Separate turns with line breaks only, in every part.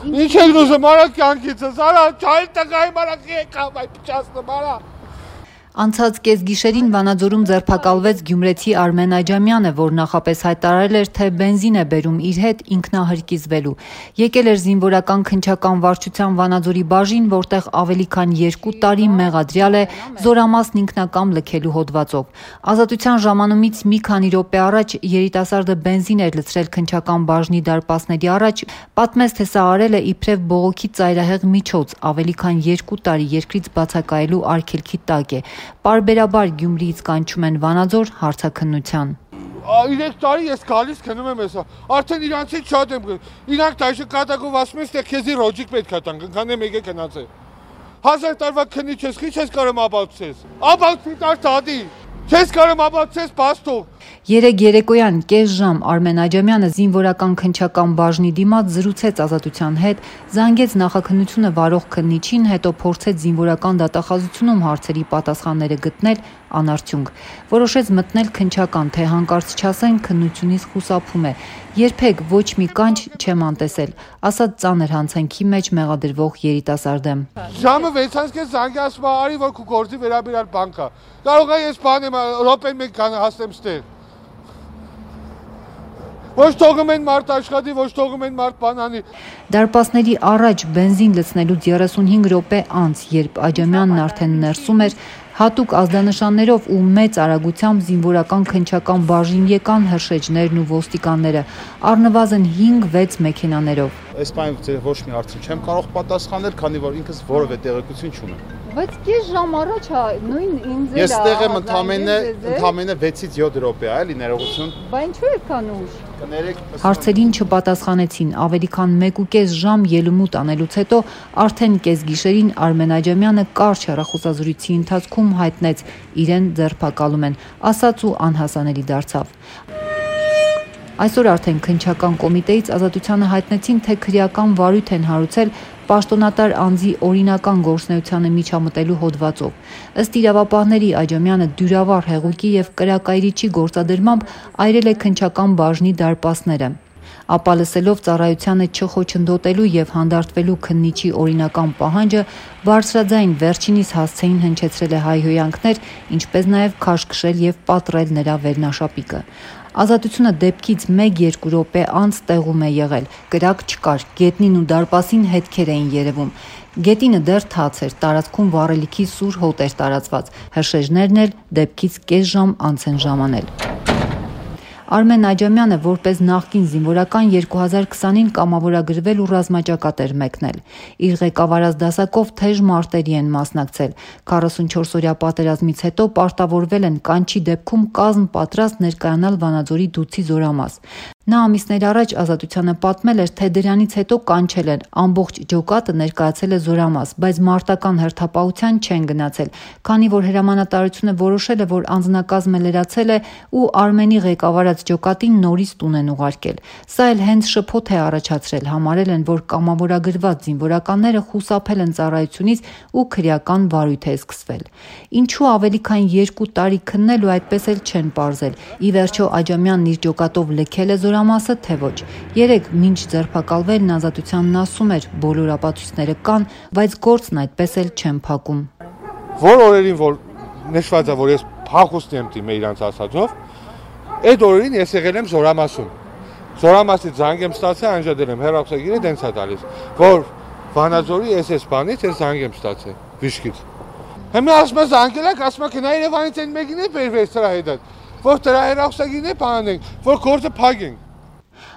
Ինչ եք ուզում արա կյանքիցս, արա չայլ տղայի մարակի եկավ այ փչացնեմ արա։
Անցած կեսգիշերին Վանաձորում ձերբակալվեց գյումրեցի Արմեն Աջամյանը, որ նախապես հայտարարել էր, թե բենզին է բերում իր հետ ինքնահրկիզվելու։ Եկել էր զինվորական քննչական վարչության Վանաձորի բաժին, որտեղ ավելի քան 2 տարի մեղադրյալ է զորամասն ինքնակամ լքելու հոդվածով։ Ազատության ժամանումից մի քանի րոպե առաջ երիտասարդը բենզին էր լցրել քննչական բաժնի դարպասների առաջ, պատմեց, թե սա արել է իբրև բողոքի ծայրահեղ միջոց, ավելի քան 2 տարի երկրից բացակայելու արգելքի տակ է։ Պարբերաբար Գյումրիից կանչում են Վանաձոր հարցաքննության։
3 տարի ես գալիս քնում եմ հեսա, արդեն իրանցից շատ եմ, իրանք տայշը կատակով ասում են, թե քեզի ռոջիկ պետք է տան, քանեմ եկե գնացե։ 1000 տարվա քնի չես, քիչ ես կարում աբացես։ Աբացի տար տադի։ Չես կարում աբացես բաստող։
3 երեկոյան կես ժամ Արմեն Աջամյանը զինվորական քննչական բաժնի դիմաց զրուցեց Ազատության հետ, զանգեց նախաքննությունը վարող քննիչին, հետո փորձեց զինվորական դատախազությունում հարցերի պատասխանները գտնել, անարդյունք։ Որոշեց մտնել քննչական, թե հանկարծ չասեն քննությունից խուսափում է։ Երբեք ոչ մի կանչ չեմ անտեսել, ասաց ծանր հանցանքի մեջ մեղադրվող երիտասարդը։
Ժամը 6-ից կես զանգի ասում արի որ քու գործի վերաբերյալ բան կա։ Կարող է ես բան եմ րոպեն մեկ հասնեմ ստեղ։ Ոչ թողում են մարդ աշխատի, ոչ թողում են մարդ բան անի։
Դարպասների առաջ բենզին լցնելուց 35 րոպե անց, երբ Աջամյանն արդեն ներսում էր, հատուկ ազդանշաններով ու մեծ արագությամբ զինվորական քննչական բաժին եկան հրշեջներն ու ոստիկանները, առնվազն 5-6 մեքենաներով։
Այս բանը ոչ մի հարցին չեմ կարող պատասխանել, քանի որ ինքս որևէ տեղեկություն չունեմ։
Բայց կես ժամ առաջ նույն ինձ
Ես տեղ եմ ընդամենը 6-ից 7 րոպե, էլի ներողություն։
Բա ինչու եկան ուշ։ Հարցերին չպատասխանեցին, ավելի քան 1.5 ժամ ելումուտ անելուց հետո արդեն կեսգիշերին Արմեն Աջամյանը կարճ հեռախոսազրույցի ընթացքում հայտնեց իրեն ձերբակալում են, ասաց ու անհասանելի դարձավ։ Այսօր արդեն քննչական կոմիտեից Ազատությանը հայտնեցին, թե քրեական վարույթ են հարուցել պաշտոնատար անձի օրինական գործունեությանը միջամտելու հոդվածով։ Ըստ իրավապահների Աջամյանը դյուրավառ հեղուկի եւ կրակայրիչի գործադրմամբ այրել է քննչական բաժնի դարպասները։ Ապա լսելով ծառայությանը չխոչընդոտելու եւ հանդարտվելու քննիչի օրինական պահանջը, բարձրաձայն վերջինիս հասցեին հնչեցրել է հայհոյանքներ, ինչպես նաեւ քաշքշել եւ պատռել նրա վերնաշապիկը։ Ազատությունը դեպքից 1-2 րոպե անց տեղում է եղել, կրակ չկար, գետնին ու դարպասին հետքեր էին երևում։ Գետինը դեռ թաց էր, տարածքում վառելիքի սուր հոտ էր տարածված, հրշեջներն էլ դեպքից կես ժամ անց են ժամանել։ Արմեն Աջամյանը որպես նախկին զինվորական 2020-ին կամավորագրվել ու ռազմաճակատ էր մեկնել։ Իր ղեկավարած դասակով թեժ մարտերի են մասնակցել։ 44-օրյա պատերազմից հետո պարտավորվել են կանչի դեպքում կազմ պատրաստ ներկայանալ Վանաձորի Դուցի զորամաս։ Նա ամիսներ առաջ Ազատությանը պատմել էր, թե դրանից հետո կանչել են, ամբողջ ջոկատը ներկայացել է զորամաս, բայց մարտական հերթապահության չեն գնացել, քանի որ հրամանատարությունը որոշել է, որ անձնակազմը լրացել է ու Արմենի ղեկավարած ջոկատին նորից տուն են ուղարկել։ Սա էլ հենց շփոթ է առաջացրել, համարել են, որ կամավորագրված զինվորականները խուսափել են ծառայությունից ու քրեական վարույթ է սկսվել։ Ինչու ավելի քան 2 տարի քննել ու այդպես էլ չեն պարզել։ Ի վերջո Աջամյանն իր ջոկատով լքել է զորամասը, թե ոչ։ Երեկ մինչ ձերբակալվելն Ազատությանն ասում էր, բոլոր ապացույցները կան, բայց գործն այդպես էլ չեն փակում։
Որ օրերին որ նշված է, որ ես փախուստ եմ դիմել իրանց ասածով, այդ օրերին ես եղել եմ զորամասում։ Զորամասից զանգ եմ ստացել, անջատել եմ, հեռախոսագիրը դենց է տալիս, որ Վանաձորի SS բանից ես զանգ եմ ստացել, վիշկից։ Հիմա ասում եմ զանգել եք, ասում եք նա Երևանից այն մեկին է բերվել սրա հետ, որ դրա հեռախոսագիրն է բանենք, որ գործը փակենք։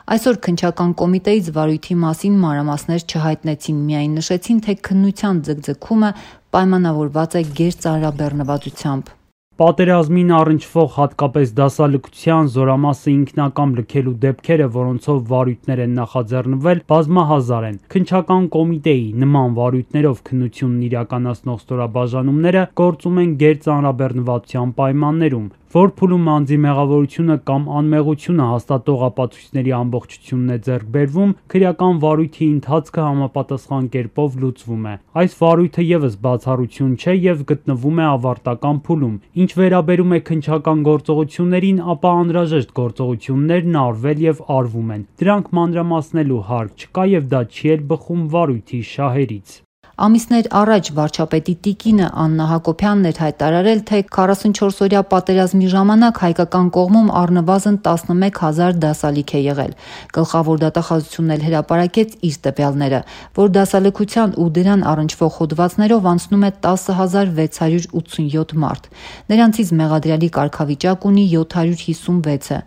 Այսօր քննչական կոմիտեից վարույթի մասին մանրամասներ չհայտնեցին, միայն նշեցին, թե քննության ձգձգումը պայմանավորված է գերծանրաբեռնվածությամբ։
Պատերազմին առնչվող հատկապես դասալքության զորամասը ինքնակամ լքելու դեպքերը, որոնցով վարույթներ են նախաձեռնվել, բազմահազար են։ Քննչական կոմիտեի նման վարույթներով քննությունն իրականացնող ստորաբաժանումները գործում են գերծանրաբեռնվածության պայմաններում։ որ փուլում անձի մեղավորությունը կամ անմեղությունը հաստատող ապացույցների ամբողջությունն է ձեռք բերվում, քրեական վարույթի ընթացքը համապատասխան կերպով լուծվում է։ Այս վարույթը ևս բացառություն չէ եւ գտնվում է ավարտական փուլում։ Ինչ վերաբերում է քննչական գործողություններին, ապա անհրաժեշտ գործողություններն արվել եւ արվում են։ Դրանք մանրամասնելու հարկ չկա եւ դա չի էլ բխում վարույթի շահերից։
Ամիսներ առաջ վարչապետի տիկինը Աննա Հակոբյանն էր հայտարարել, թե 44-օրյա պատերազմի ժամանակ հայկական կողմում առնվազն 11,000 դասալիք է եղել։ Գլխավոր դատախազությունն էլ հրապարակեց իր տվյալները, որ դասալքության ու դրան առնչվող հոդվածներով անցնում է 10,687 մարդ։ Նրանցից մեղադրյալի կարգավիճակ ունի 756-ը։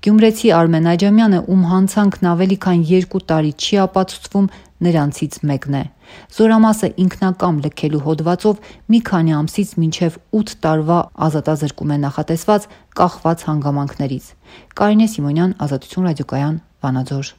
Գյումրեցի Արմեն Աջամյանը, ում հանցանքն ավելի քան 2 տարի չի ապացուցվում, նրանցից մեկն է։ Զորամասը ինքնակամ լքելու հոդվածով մի քանի ամսից մինչև 8 տարվա ազատազրկում է նախատեսված կախված հանգամանքներից։ Կարինե Սիմոնյան, Ազատություն ռադիոկայան, Վանաձոր։